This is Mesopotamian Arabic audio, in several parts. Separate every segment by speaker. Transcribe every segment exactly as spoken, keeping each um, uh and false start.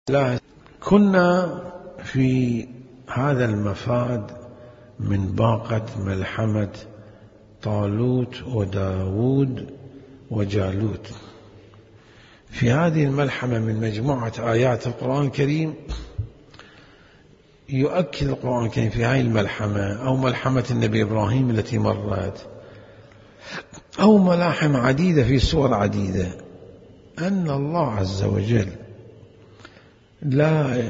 Speaker 1: لا كنا في هذا المفاد من باقة ملحمة طالوت وداود وجالوت. في هذه الملحمة من مجموعة آيات القرآن الكريم يؤكد القرآن الكريم في هذه الملحمة أو ملحمة النبي إبراهيم التي مرت أو ملاحم عديدة في سور عديدة أن الله عز وجل لا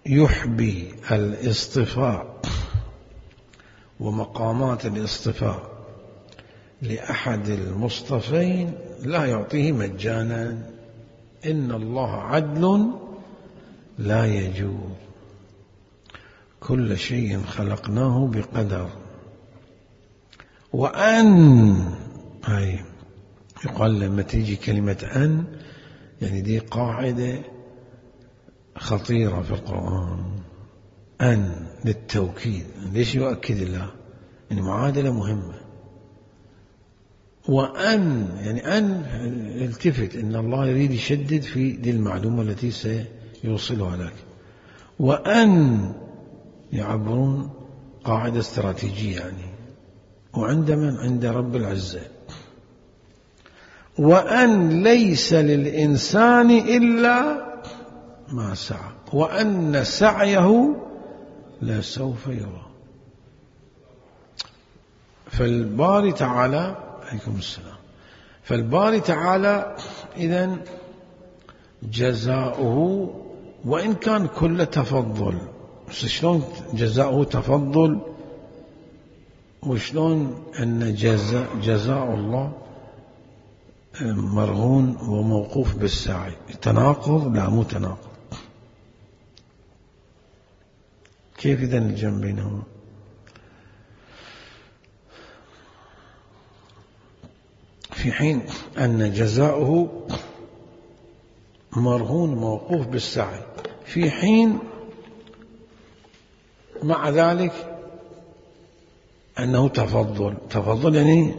Speaker 1: يحبي الاصطفاء ومقامات الاصطفاء لأحد المصطفين لا يعطيه مجانا. إن الله عدل لا يجور، كل شيء خلقناه بقدر. وأن هاي يقال لما تيجي كلمة أن يعني دي قاعدة خطيرة في القرآن، أن للتوكيد. ليش يؤكد الله؟ يعني معادلة مهمة. وأن يعني أن التفت إن الله يريد يشدد في دي المعلومة التي سيوصلها لك. وأن يعبرون قاعدة استراتيجية يعني، وعند من؟ عند رب العزة. وأن ليس للإنسان إلا ما سعى وأن سعيه لسوف يرى. فالباري تعالى عليكم السلام فالباري تعالى إذن جزاؤه وإن كان كل تفضل، شلون جزاؤه تفضل وشلون أن جزاء, جزاء الله مرهون وموقوف بالسعي؟ تناقض؟ لا مو تناقض. كيف إذن الجمع بينهما؟ في حين أن جزاؤه مرهون موقوف بالسعي، في حين مع ذلك أنه تفضل. تفضل يعني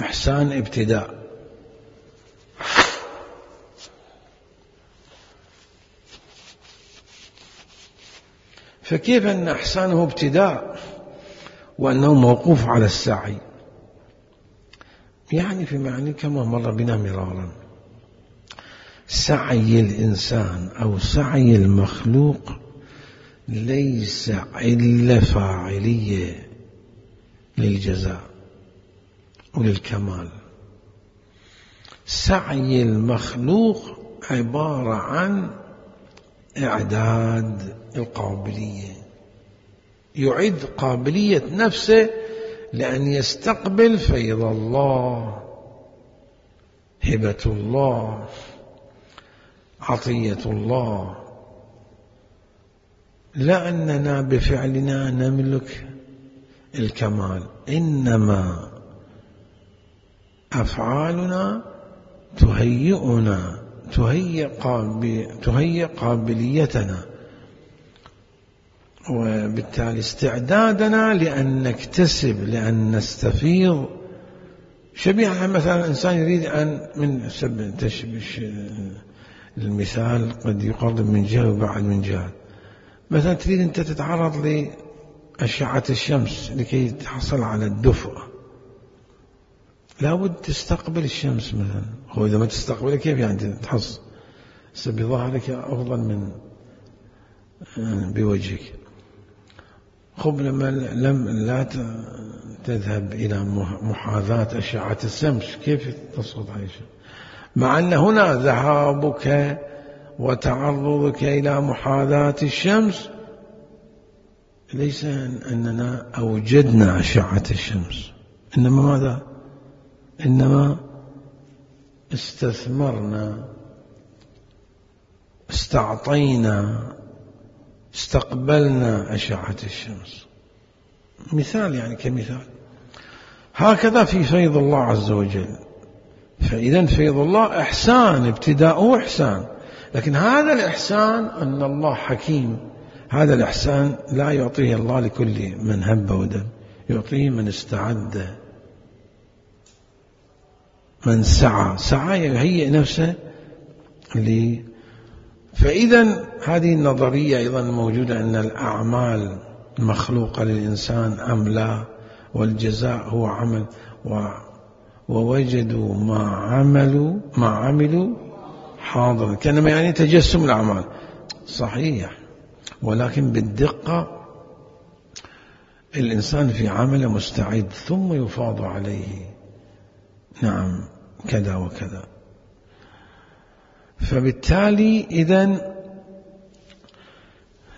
Speaker 1: إحسان ابتداء. فكيف أن إحسانه ابتداء وأنه موقوف على السعي؟ يعني في معنى كما مر بنا مرارا، سعي الإنسان أو سعي المخلوق ليس علة فاعلية للجزاء وللكمال. سعي المخلوق عبارة عن إعداد القابلية، يعد قابلية نفسه لأن يستقبل فيض الله، هبة الله، عطية الله. لا أننا بفعلنا نملك الكمال، إنما أفعالنا تهيئنا تهيئ قابل تهيئ قابليتنا، وبالتالي استعدادنا لأن نكتسب، لأن نستفيض. شبيهة مثلا إنسان يريد أن من سب تشبش المثال قد يقرب من جهة وبعد من جهة. مثلا تريد أنت تتعرض لأشعة الشمس لكي تحصل على الدفء، لابد تستقبل الشمس مثلا. هو إذا ما تستقبل كيف يعني تحصل؟ بظهرك أفضل من بوجهك. خب لما لم لا تذهب إلى محاذاة أشعة الشمس كيف تصعد على الشمس؟ مع أن هنا ذهابك وتعرضك إلى محاذاة الشمس ليس أننا أوجدنا أشعة الشمس، إنما ماذا؟ إنما استثمرنا، استعطينا، استقبلنا أشعة الشمس. مثال يعني كمثال. هكذا في فيض الله عز وجل. فإذا فيض الله إحسان، ابتداؤه إحسان، لكن هذا الإحسان أن الله حكيم. هذا الإحسان لا يعطيه الله لكل من هب ودب، يعطيه من استعد، من سعى. سعى يهيئ نفسه فإذا هذه النظرية أيضا موجودة أن الأعمال مخلوقة للإنسان أم لا، والجزاء هو عمل، ووجدوا ما عملوا ما عملوا حاضر، كانما يعني تجسم الأعمال. صحيح، ولكن بالدقة الإنسان في عمله مستعد ثم يفاض عليه نعم كذا وكذا. فبالتالي إذن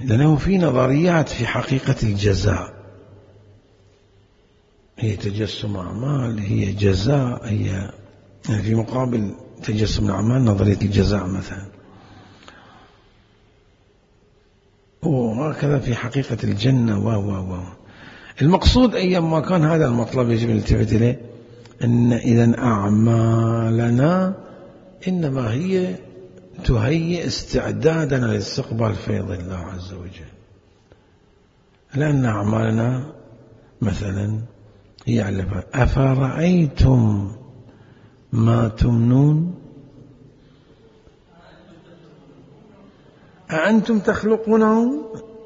Speaker 1: لأنه في نظريات في حقيقة الجزاء، هي تجسم أعمال، هي جزاء، هي يعني في مقابل تجسم الأعمال نظرية الجزاء مثلا، وهكذا في حقيقة الجنة و و و المقصود أيام ما كان هذا المطلب يجب أن نلتفت إليه، أن إذن أعمالنا إنما هي تهيئ استعدادنا لاستقبال فيض الله عز وجل، لأن أعمالنا مثلا هي علفة. أفرأيتم ما تمنون أأنتم تخلقونه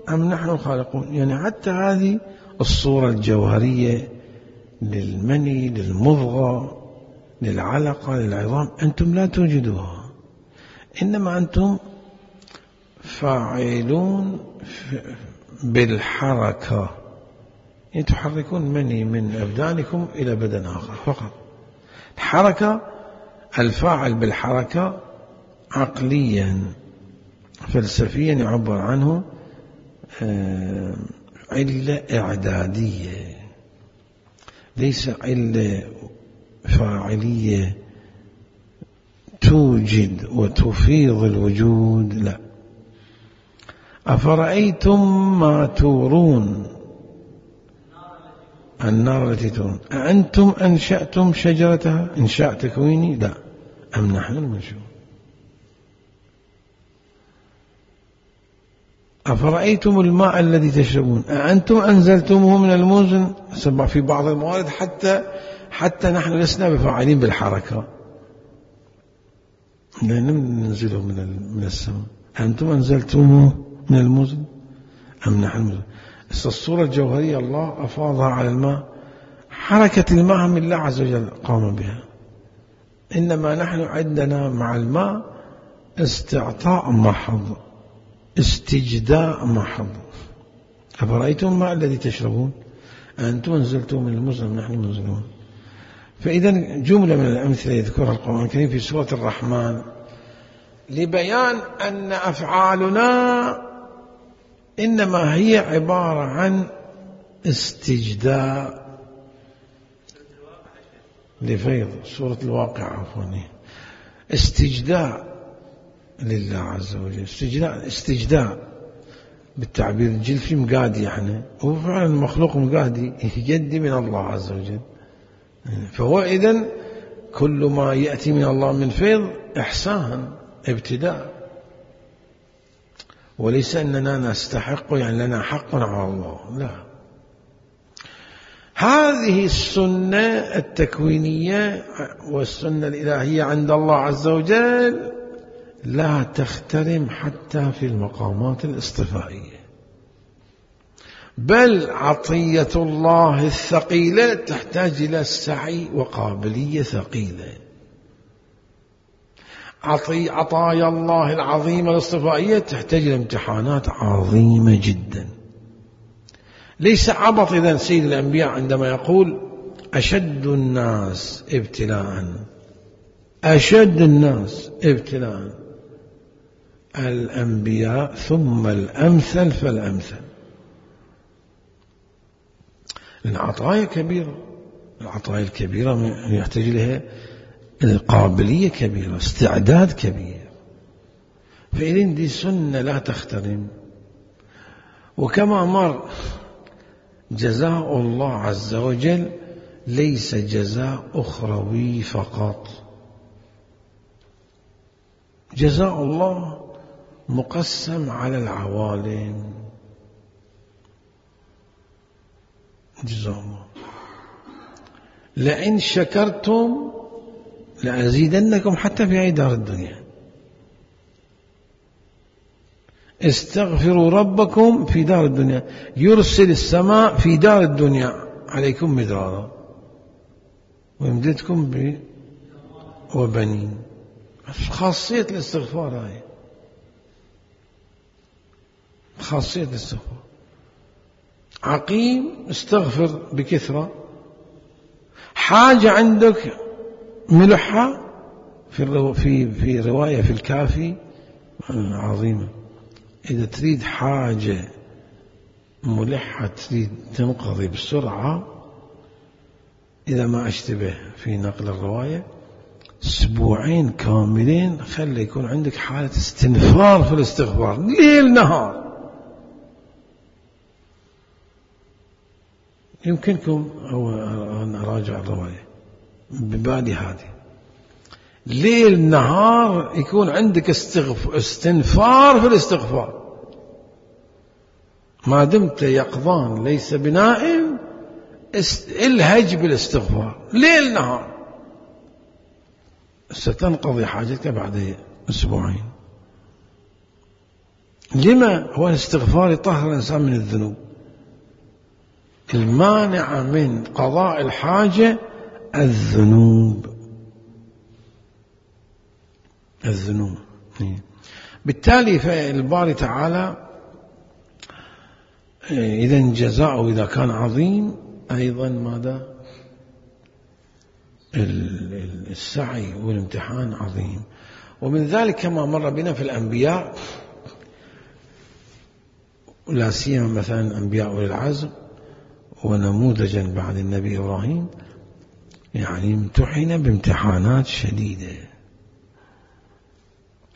Speaker 1: أم نحن الخالقون؟ يعني حتى هذه الصورة الجوهرية للمني، للمضغة، للعلقة، للعظام، أنتم لا توجدوها، إنما أنتم فاعلون بالحركة، يعني تحركون مني من أبدانكم إلى بدن آخر فقط. الحركة، الفاعل بالحركة عقليا فلسفيا يعبر عنه علة إعدادية، ليس علة فاعلية توجد وتفيض الوجود، لا. أفرأيتم ما تورون، النار التي تورون، أأنتم أنشأتم شجرتها إنشاء تكويني؟ لا، أم نحن المنشؤون. أفرأيتم الماء الذي تشربون أأنتم أنزلتموه من المزن؟ سبع في بعض الموارد حتى حتى نحن لسنا بفاعلين بالحركة، لا ننزله من من السماء. أنتم أنزلتموه من المزن أم نحن المزن؟ الصورة الجوهرية الله أفاضها على الماء، حركة الماء من الله عز وجل قام بها، إنما نحن عندنا مع الماء استعطاء محض، استجداء محض. أفرأيتم الماء الذي تشربون أنتم أنزلتم من المزن أم نحن المنزلون؟ فإذا جملة من الأمثلة يذكرها القرآن الكريم في سورة الرحمن لبيان أن أفعالنا إنما هي عبارة عن استجداء لفيض. سورة الواقع عفوا، استجداء لله عز وجل، استجداء استجداء بالتعبير الجلفي مقادي، يعني هو فعلا المخلوق مقادي يجدي من الله عز وجل. فهو إذن كل ما يأتي من الله من فيض إحسان ابتداء، وليس أننا نستحق يعني لنا حق على الله، لا. هذه السنة التكوينية والسنة الإلهية عند الله عز وجل لا تخترم حتى في المقامات الاصطفائية، بل عطية الله الثقيلة تحتاج إلى سعي وقابلية ثقيلة. عطي عطايا الله العظيمة الاصطفائية تحتاج إلى امتحانات عظيمة جدا. ليس عبط إذن سيد الأنبياء عندما يقول أشد الناس ابتلاء، أشد الناس ابتلاء الأنبياء ثم الأمثل فالأمثل. العطايا كبيرة، العطايا الكبيرة يحتاج لها قابلية كبيرة، استعداد كبير. فإذن دي سنة لا تخترم. وكما مر جزاء الله عز وجل ليس جزاء أخروي فقط، جزاء الله مقسم على العوالم. جزاء الله لئن شكرتم لأزيدنكم حتى في أي دار الدنيا. استغفروا ربكم في دار الدنيا يرسل السماء في دار الدنيا عليكم مدرارا ويمددكم ب وبنين. خاصية الاستغفار هاي، خاصية الاستغفار. عقيم استغفر بكثرة. حاجة عندك ملحة في في في رواية في الكافي عظيمة، إذا تريد حاجة ملحة تريد تنقضي بسرعة، إذا ما أشتبه في نقل الرواية، أسبوعين كاملين خلي يكون عندك حالة استنفار في الاستغفار ليل نهار. يمكنكم أو أن أراجع الرواية ببالي هذه، ليل نهار يكون عندك استنفار في الاستغفار، ما دمت يقظان ليس بنائم الهج بالاستغفار ليل نهار، ستنقضي حاجتك بعد أسبوعين. لما؟ هو الاستغفار يطهر الإنسان من الذنوب. المانع من قضاء الحاجة الذنوب، الذنوب. بالتالي فالباري تعالى إذا جزاؤه إذا كان عظيم أيضا ماذا؟ السعي والامتحان عظيم. ومن ذلك كما مر بنا في الأنبياء، لا سيما مثلا أنبياء أولي العزم ونموذجا بعد النبي إبراهيم، يعني امتحن بامتحانات شديدة.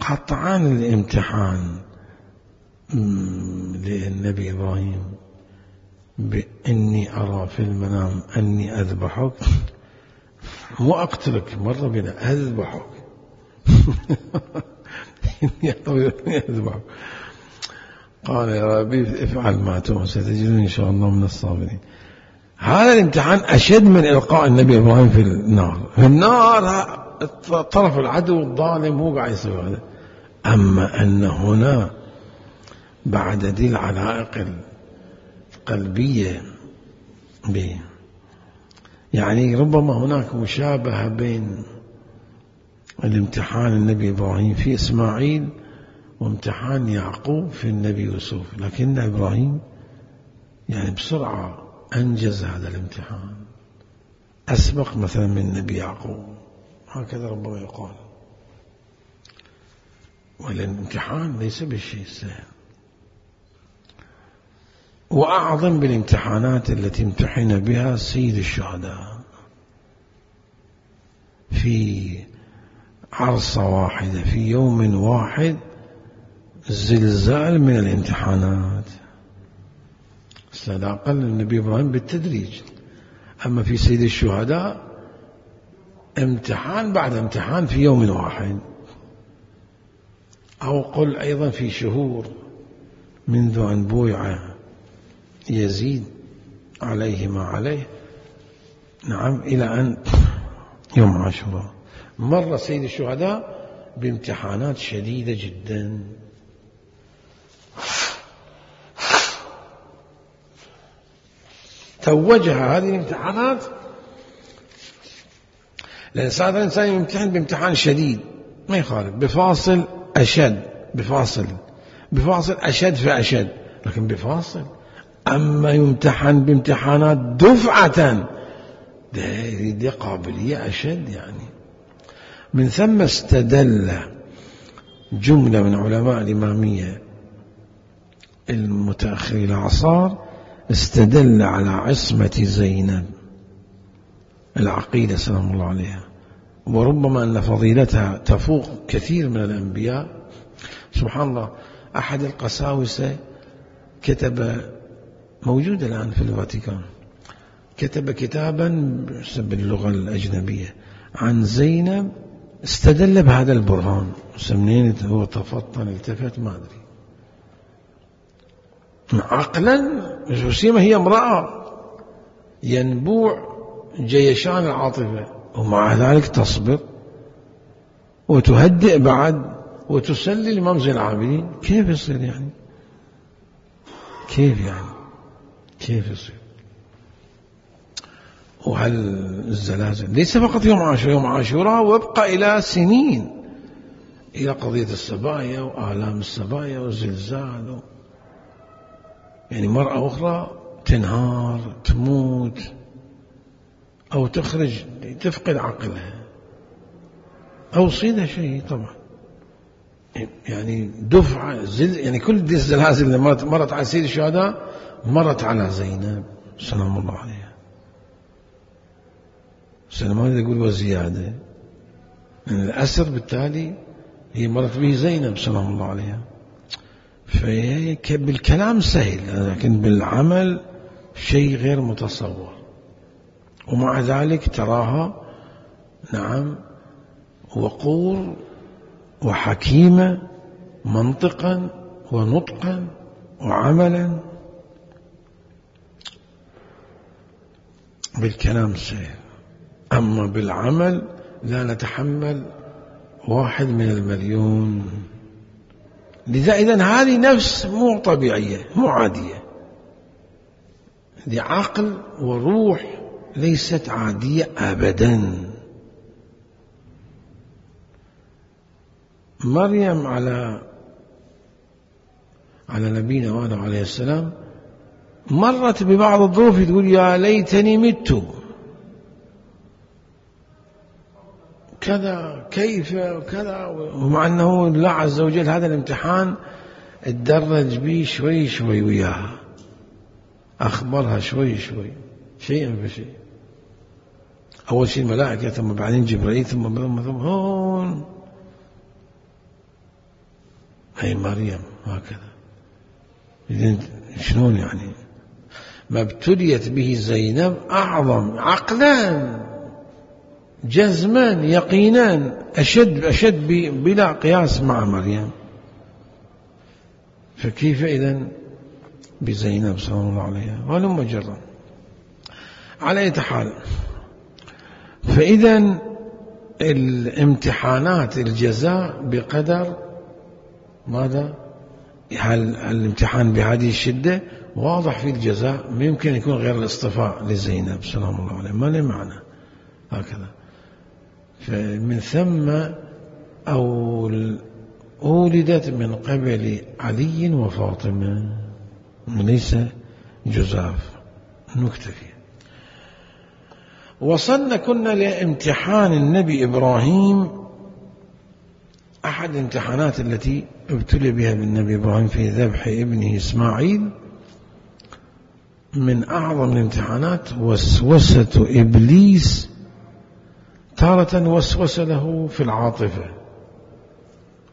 Speaker 1: قطعا الامتحان للنبي إبراهيم بإني أرى في المنام أني أذبحك، مو أقتلك، مرة بنا أذبحك إني أذبحك، قال يا ربي افعل ما تؤمر ستجدني إن شاء الله من الصابرين. هذا الامتحان أشد من إلقاء النبي إبراهيم في النار. في النار طرف العدو الظالم هو قاعد يسوي هذا، أما أن هنا بعد ذي العلائق القلبية به، يعني ربما هناك مشابهة بين الامتحان النبي إبراهيم في إسماعيل وامتحان يعقوب في النبي يوسف، لكن إبراهيم يعني بسرعة أنجز هذا الامتحان، أسبق مثلا من النبي يعقوب، هكذا ربما يقال. والامتحان ليس بالشيء السهل، وأعظم بالامتحانات التي امتحن بها سيد الشهداء في عرصة واحدة في يوم واحد، زلزال من الامتحانات. استدعى النبي إبراهيم بالتدريج، أما في سيد الشهداء امتحان بعد امتحان في يوم واحد، أو قل أيضا في شهور منذ أن بويع يزيد عليه ما عليه، نعم، إلى أن يوم عاشوراء مر سيد الشهداء بامتحانات شديدة جدا. توجها هذه الامتحانات، لأن ساعات الإنسان يمتحن بامتحان شديد ما يخالف، بفاصل أشد، بفاصل بفاصل أشد فأشد، لكن بفاصل. أما يمتحن بامتحانات دفعة، دي قابلية أشد يعني. من ثم استدل جملة من علماء الإمامية المتأخر الأعصار، استدل على عصمة زينب العقيلة سلام الله عليها، وربما أن فضيلتها تفوق كثير من الأنبياء. سبحان الله، أحد القساوسة كتب، موجود الآن في الفاتيكان، كتب كتابا باللغة الأجنبية عن زينب، استدل بهذا البرهان. سمنين هو تفطن التفت ما أدري، عقلا جسيمة، هي امرأة ينبوع جيشان العاطفة، ومع ذلك تصبر وتهدئ بعد وتسلي الإمام زين العابدين، كيف يصير يعني؟ كيف يعني؟ كيف يصير؟ وهل الزلازل ليس فقط يوم عاشوراء، يوم عاشوراء وابقى إلى سنين، إلى قضية السبايا وآلام السبايا والزلزال و... يعني مرة أخرى تنهار تموت أو تخرج تفقد عقلها أو يصيدها شيء طبعا. يعني دفعة زل يعني كل دي الزلازل اللي مرت, مرت على سيد الشهداء مرت على زينب سلام الله عليها. سلمان يقول وزيادة من الأسر، بالتالي هي مرت به زينب سلام الله عليها. فهي بالكلام سهل لكن بالعمل شيء غير متصور، ومع ذلك تراها نعم وقور وحكيمة منطقا ونطقا وعملا. بالكلام سهل، أما بالعمل لا نتحمل واحد من المليون. لذا إذن هذه نفس مو طبيعية مو عادية، دي عقل وروح ليست عادية أبدا. مريم على على نبينا وآله عليه السلام مرت ببعض الظروف تقول يا ليتني مت كذا كيف وكذا، ومع أنه الله عز وجل هذا الامتحان اتدرج به شوي شوي وياها، أخبرها شوي شوي شيئا فشيء. أول شيء الملائكة ثم بعدين جبريل ثم ثم ثم هون هي مريم هكذا. إذن شلون يعني ما ابتليت به زينب أعظم عقلا جزما يقينا أشد أشد بلا قياس مع مريم، فكيف إذن بزينب صلى الله عليه ولم جرا. على أي حال، فإذا الامتحانات الجزاء بقدر ماذا؟ هل الامتحان بهذه الشدة واضح في الجزاء، ما يمكن يكون غير الاصطفاء لزينب سلام الله عليه، ما له معنى هكذا. فمن ثم أو ولدت من قبل علي وفاطمة، ليس جزاف. نكتفي. وصلنا كنا لامتحان النبي إبراهيم، أحد الامتحانات التي ابتلي بها بالنبي إبراهيم في ذبح ابنه إسماعيل. من أعظم الامتحانات وسوسة إبليس، تارة وسوس له في العاطفة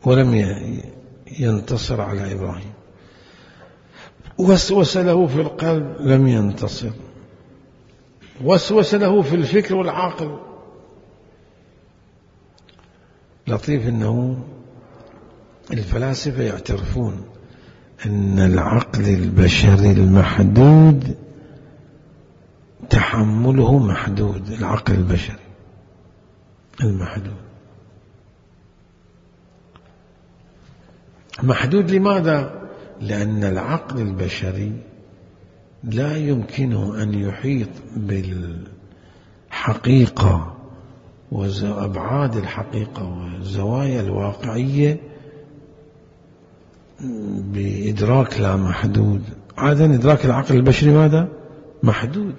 Speaker 1: ولم ينتصر على إبراهيم، وسوس له في القلب لم ينتصر، وسوس له في الفكر والعقل. لطيف أنه الفلاسفة يعترفون أن العقل البشري المحدود تحمله محدود. العقل البشري المحدود محدود لماذا؟ لأن العقل البشري لا يمكنه أن يحيط بالحقيقة وأبعاد الحقيقة والزوايا الواقعية بإدراك لا محدود. عادة إدراك العقل البشري ماذا؟ محدود.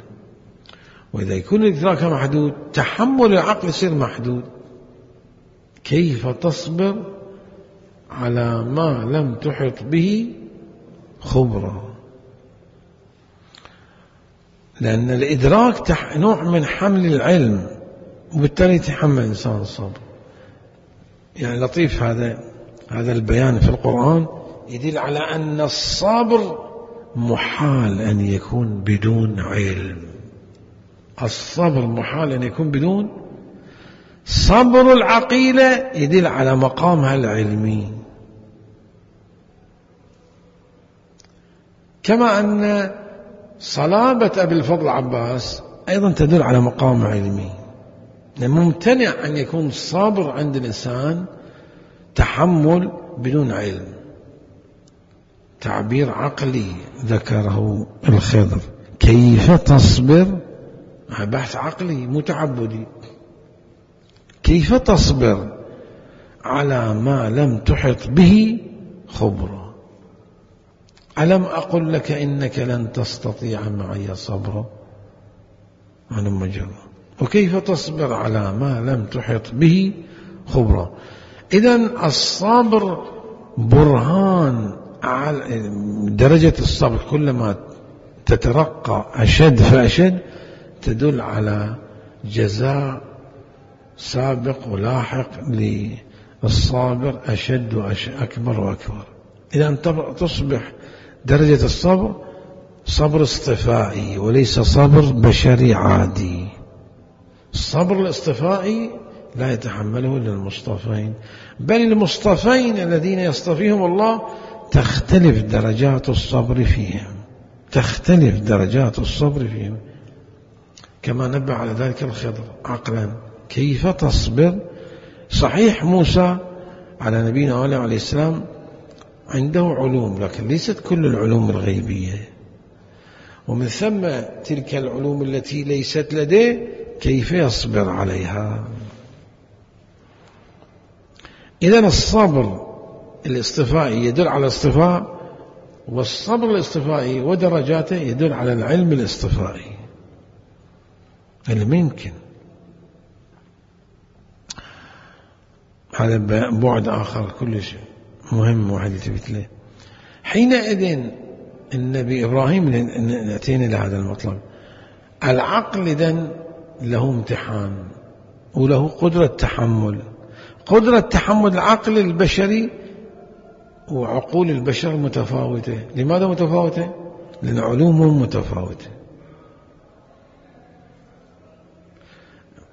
Speaker 1: وإذا يكون إدراكه محدود تحمل العقل يصير محدود. كيف تصبر على ما لم تحط به خبرة؟ لأن الإدراك نوع من حمل العلم، وبالتالي يتحمل الإنسان الصبر. يعني لطيف هذا هذا البيان في القرآن يدل على أن الصبر محال أن يكون بدون علم. الصبر محال أن يكون بدون صبر. العقيلة يدل على مقامها العلمي، كما أن صلابة أبي الفضل عباس أيضا تدل على مقام علمي. ممتنع أن يكون الصبر عند الإنسان تحمل بدون علم، تعبير عقلي ذكره الخضر. كيف تصبر؟ بحث عقلي مو تعبدي. كيف تصبر على ما لم تحط به خبرا؟ ألم أقل لك إنك لن تستطيع معي صبرا؟ أنا مجرد. وكيف تصبر على ما لم تحط به خبرا؟ إذن الصبر برهان على درجة الصبر، كلما تترقى أشد فأشد تدل على جزاء سابق ولاحق للصابر أشد وأكبر وأكبر. إذا تصبح درجة الصبر صبر اصطفائي وليس صبر بشري عادي. الصبر الاصطفائي لا يتحمله إلا المصطفين، بل المصطفين الذين يصطفيهم الله تختلف درجات الصبر فيهم، تختلف درجات الصبر فيهم، كما نبه على ذلك الخضر عقلا. كيف تصبر؟ صحيح موسى على نبينا عليه السلام عنده علوم، لكن ليست كل العلوم الغيبية، ومن ثم تلك العلوم التي ليست لديه كيف يصبر عليها؟ إذن الصبر الاصطفائي يدل على الاصطفاء، والصبر الاصطفائي ودرجاته يدل على العلم الاصطفائي. اللي يمكن هذا بعد آخر كل شيء مهم واحد يثبت له. حينئذ النبي إبراهيم نأتينا لهذا المطلب. العقل إذن له امتحان وله قدرة تحمل. قدرة تحمل العقل البشري وعقول البشر متفاوتة. لماذا متفاوتة؟ لأن علومهم متفاوتة،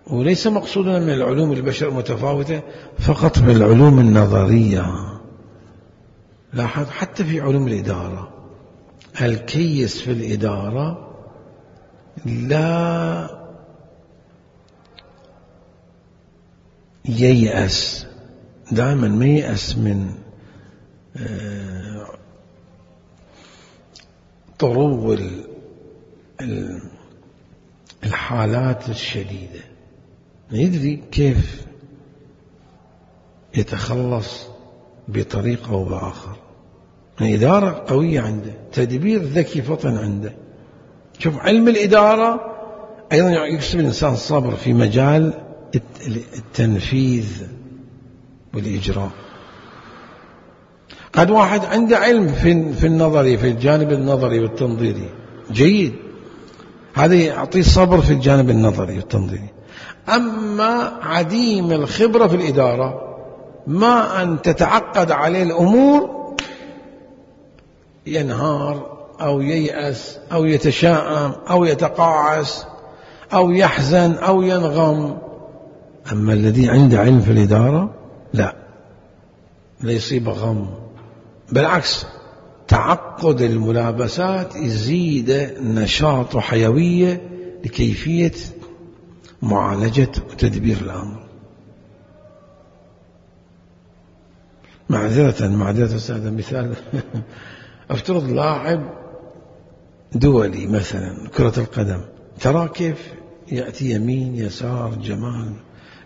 Speaker 1: وليس مقصودنا من العلوم البشر متفاوتة فقط بالعلوم النظرية. لاحظ حتى في علوم الإدارة الكيس في الإدارة لا ييأس، دائما ما ييأس من طرو الحالات الشديدة، يدري كيف يتخلص بطريقة أو بآخر. إدارة قوية عنده، تدبير ذكي فطن عنده. شوف علم الإدارة أيضا يكسب الإنسان الصبر في مجال التنفيذ والإجراء. قد واحد عنده علم في في النظري، في الجانب النظري والتنظيري جيد، هذا يعطيه صبر في الجانب النظري والتنظيري. أما عديم الخبرة في الإدارة ما أن تتعقد عليه الأمور ينهار أو ييأس أو يتشائم أو يتقاعس أو يحزن أو ينغم. أما الذي عنده علم في الإدارة لا لا يصيب غم، بالعكس تعقد الملابسات يزيد نشاط وحيوية لكيفية معالجة وتدبير الأمر. معذرة معذرة أستاذ، مثال افترض لاعب دولي مثلا كرة القدم، ترى كيف يأتي يمين يسار جمال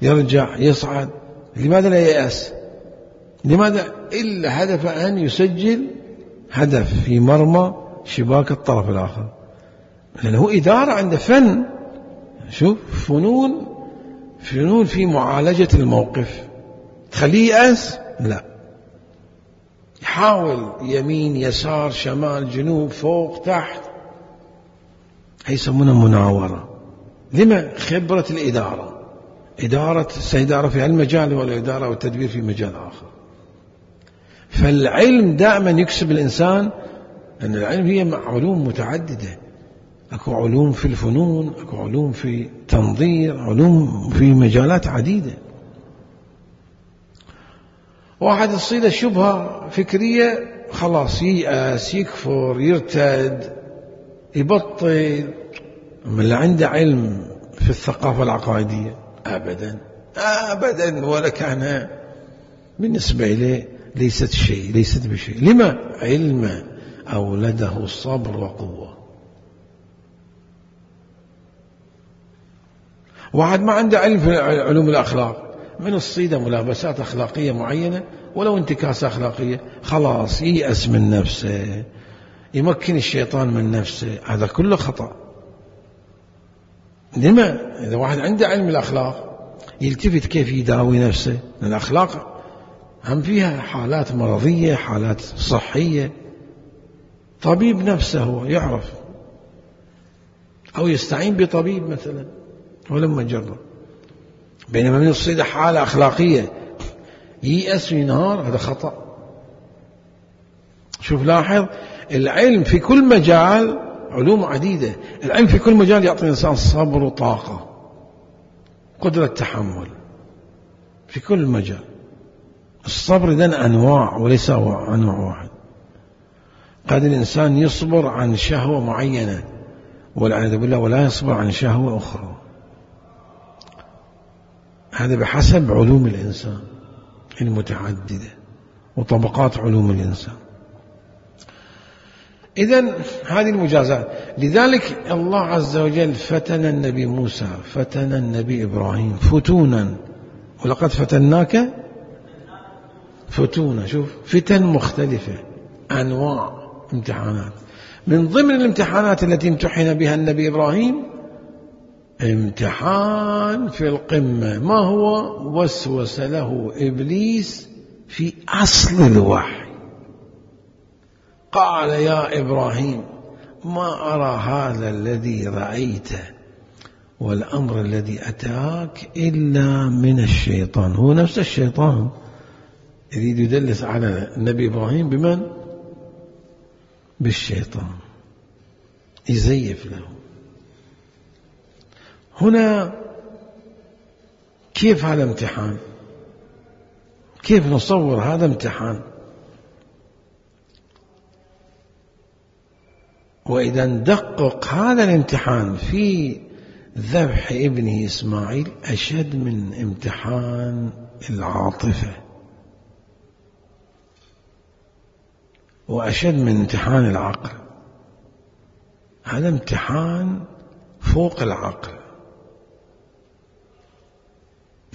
Speaker 1: يرجع يصعد. لماذا لا ييأس؟ لماذا؟ إلا هدف أن يسجل هدف في مرمى شباك الطرف الآخر، لأنه إدارة عنده فن. شوف فنون فنون في معالجة الموقف. تخليه يأس؟ لا، يحاول يمين يسار شمال جنوب فوق تحت، هي يسمونها مناورة. لما؟ خبرة الإدارة، إدارة سيدارة في المجال ولا إدارة والتدبير في مجال آخر. فالعلم دائما يكسب الإنسان، أن العلم هي علوم متعددة، أكو علوم في الفنون، أكو علوم في تنظير، علوم في مجالات عديدة. واحد تصيده شبهة فكرية خلاص ييأس يكفر يرتد يبطل. من اللي عنده علم في الثقافة العقائدية أبدا أبدا ولا كان بالنسبة إليه ليست شيء، ليست بشيء. لما؟ علم أولده صبر وقوة. واحد ما عنده علم في علوم الأخلاق، من الصيدة ملابسات أخلاقية معينة ولو انتكاسة أخلاقية خلاص ييأس من نفسه، يمكن الشيطان من نفسه، هذا كله خطأ. لما؟ إذا واحد عنده علم الأخلاق يلتفت كيف يداوي نفسه، الأخلاق هم فيها حالات مرضية، حالات صحية، طبيب نفسه هو يعرف، أو يستعين بطبيب مثلا ولما جرب. بينما من الصيدة حالة أخلاقية ييأس وينهار، هذا خطأ. شوف لاحظ، العلم في كل مجال، علوم عديدة، العلم في كل مجال يعطي الإنسان صبر وطاقة، قدرة تحمل في كل مجال. الصبر إذن أنواع وليس أنواع واحد. قد الإنسان يصبر عن شهوة معينة والعياذ بالله ولا يصبر عن شهوة أخرى، هذا بحسب علوم الإنسان المتعددة وطبقات علوم الإنسان. إذن هذه المجازات. لذلك الله عز وجل فتن النبي موسى، فتن النبي إبراهيم فتونا، ولقد فتناك فتونا. شوف، فتن مختلفة، أنواع امتحانات. من ضمن الامتحانات التي امتحن بها النبي إبراهيم امتحان في القمة، ما هو؟ وسوس له إبليس في أصل الوحي، قال يا إبراهيم ما أرى هذا الذي رأيته والأمر الذي أتاك إلا من الشيطان. هو نفس الشيطان يريد يدلس على النبي إبراهيم بمن؟ بالشيطان، يزيف له. هنا كيف هذا امتحان؟ كيف نصور هذا امتحان؟ وإذا ندقق هذا الامتحان في ذبح ابنه إسماعيل أشد من امتحان العاطفة، وأشد من امتحان العقل. هذا امتحان فوق العقل،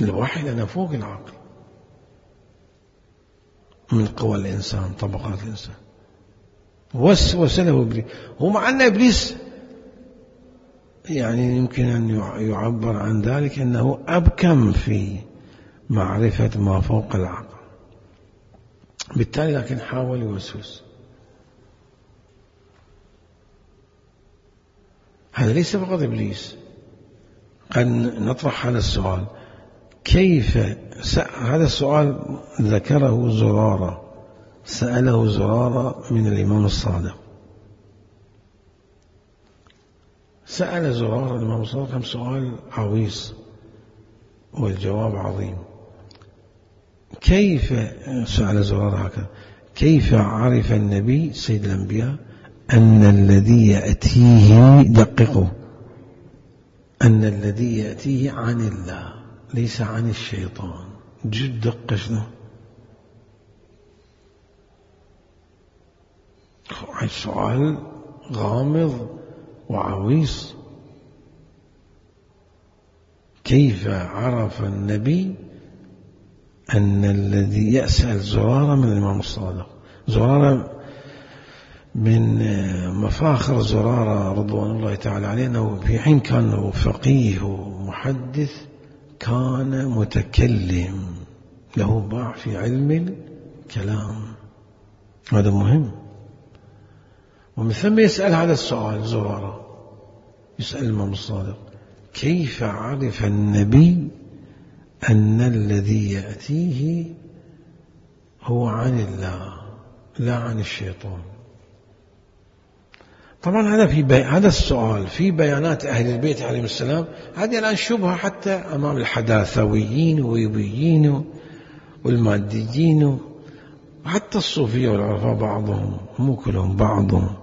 Speaker 1: الوحي لنا فوق العقل، من قوى الإنسان، طبقات الإنسان. وسوس له إبليس. هو مع أن إبليس يعني يمكن أن يعبر عن ذلك أنه أبكم في معرفة ما فوق العقل، بالتالي لكن حاول يوسوس. هذا ليس فقط إبليس. قد نطرح هذا السؤال، كيف هذا السؤال ذكره زرارة، سأله زرارة من الإمام الصادق، سأل زرارة الإمام الصادق كم سؤال عويص والجواب عظيم. كيف سأل زرارة هكذا، كيف عرف النبي سيد الأنبياء أن الذي يأتيه، دققوا، أن الذي يأتيه عن الله ليس عن الشيطان. جد دقة شنو سؤال غامض وعويص. كيف عرف النبي أن الذي يسأل زرارة من الإمام الصادق؟ زرارة من مفاخر زرارة رضوان الله تعالى عليه أنه في حين كان فقيه ومحدث كان متكلم، له باع في علم الكلام، هذا مهم. ومن ثم يسأل هذا السؤال زرارة، يسأل الإمام الصادق كيف عرف النبي أن الذي يأتيه هو عن الله لا عن الشيطان؟ طبعا هذا في بي... هذا السؤال في بيانات أهل البيت عليهم السلام، هذه الآن شبهة حتى أمام الحداثويين والويبيين والماديين وحتى الصوفية والعرفاء، بعضهم مو كلهم، بعضهم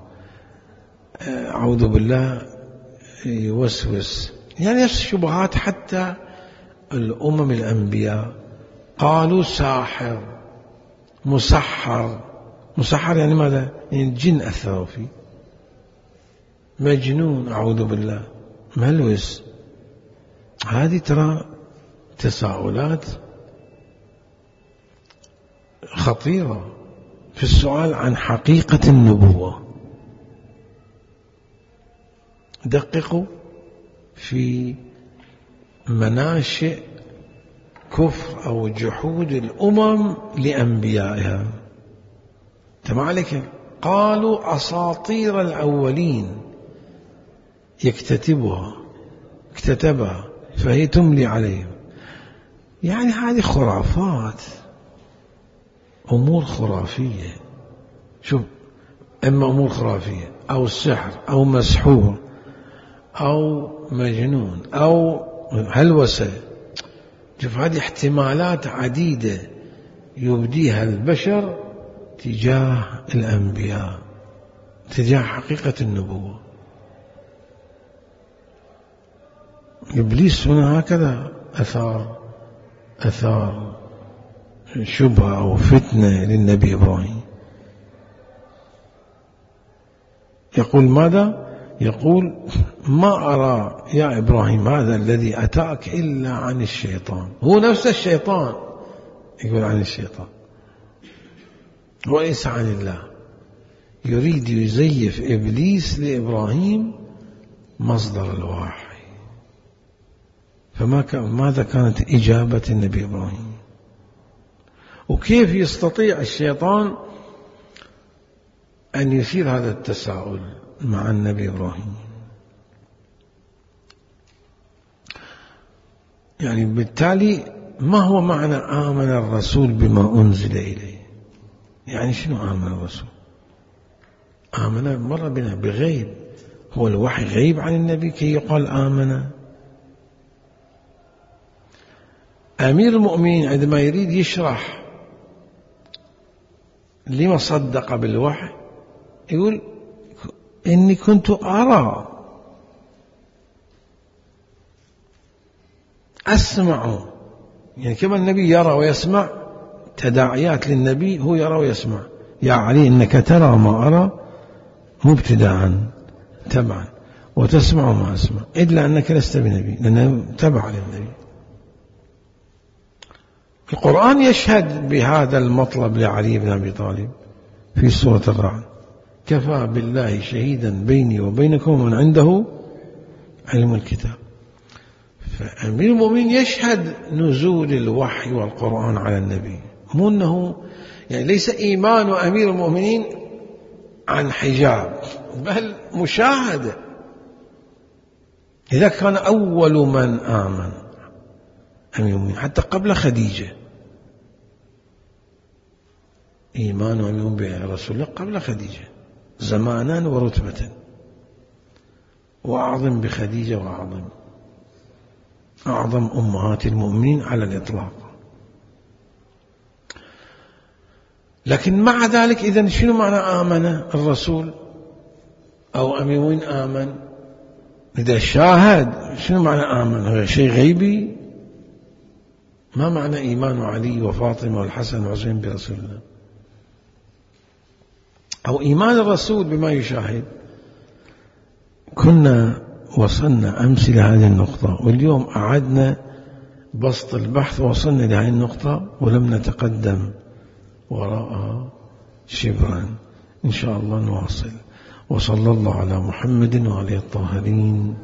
Speaker 1: أعوذ بالله يوسوس، يعني نفس الشبهات حتى الأمم الأنبياء قالوا ساحر مسحر. مسحر يعني ماذا؟ يعني الجن أثروا فيه. مجنون أعوذ بالله، ملوس. هذه ترى تساؤلات خطيرة في السؤال عن حقيقة النبوة. دققوا في مناشئ كفر أو جحود الأمم لأنبيائها. تمام عليك؟ قالوا أساطير الأولين يكتتبها اكتتبها فهي تملي عليهم. يعني هذه خرافات، أمور خرافية. شوف، إما أمور خرافية أو سحر أو مسحور أو مجنون أو هلوسة. شوف، هذه احتمالات عديدة يبديها البشر تجاه الأنبياء، تجاه حقيقة النبوة. إبليس هنا هكذا أثار أثار شبهة أو فتنة للنبي إبراهيم. يقول ماذا؟ يقول ما أرى يا إبراهيم هذا الذي أتاك إلا عن الشيطان. هو نفس الشيطان يقول عن الشيطان وليس عن الله. يريد يزيف إبليس لإبراهيم مصدر الوحي. فما كان ماذا كانت إجابة النبي إبراهيم؟ وكيف يستطيع الشيطان أن يثير هذا التساؤل مع النبي إبراهيم؟ يعني بالتالي ما هو معنى آمن الرسول بما أنزل إليه؟ يعني شنو آمن الرسول؟ آمن مر بنا بغيب. هو الوحي غيب عن النبي كي يقال آمن؟ أمير المؤمنين عندما يريد يشرح لما صدق بالوحي يقول إني كنت أرى أسمع. يعني كما النبي يرى ويسمع، تداعيات للنبي هو يرى ويسمع. يا علي إنك ترى ما أرى مبتداء تبعا، وتسمع ما أسمع، إلا أنك لست بنبي لأنه تبع للنبي. القرآن يشهد بهذا المطلب لعلي بن أبي طالب في سورة الرعد: كفى بالله شهيدا بيني وبينكم ومن عنده علم الكتاب. فأمير المؤمنين يشهد نزول الوحي والقرآن على النبي، مو أنه يعني ليس إيمان أمير المؤمنين عن حجاب، بل مشاهدة. إذا كان أول من آمن أمير المؤمنين حتى قبل خديجة، إيمان أمير المؤمنين برسول الله قبل خديجة زمانا ورتبة، وأعظم بخديجة وأعظم أعظم أمهات المؤمنين على الإطلاق. لكن مع ذلك إذن شنو معنى آمن الرسول أو أمير المؤمنين آمن؟ إذا شاهد شنو معنى آمن؟ هذا شيء غيبي. ما معنى إيمان علي وفاطمة والحسن والحسين برسول الله؟ أو إيمان الرسول بما يشاهد. كنا وصلنا أمس لهذه النقطة، واليوم أعدنا بسط البحث ووصلنا لهذه النقطة ولم نتقدم وراءها شبرا. إن شاء الله نواصل. وصلى الله على محمد وعلى الطاهرين.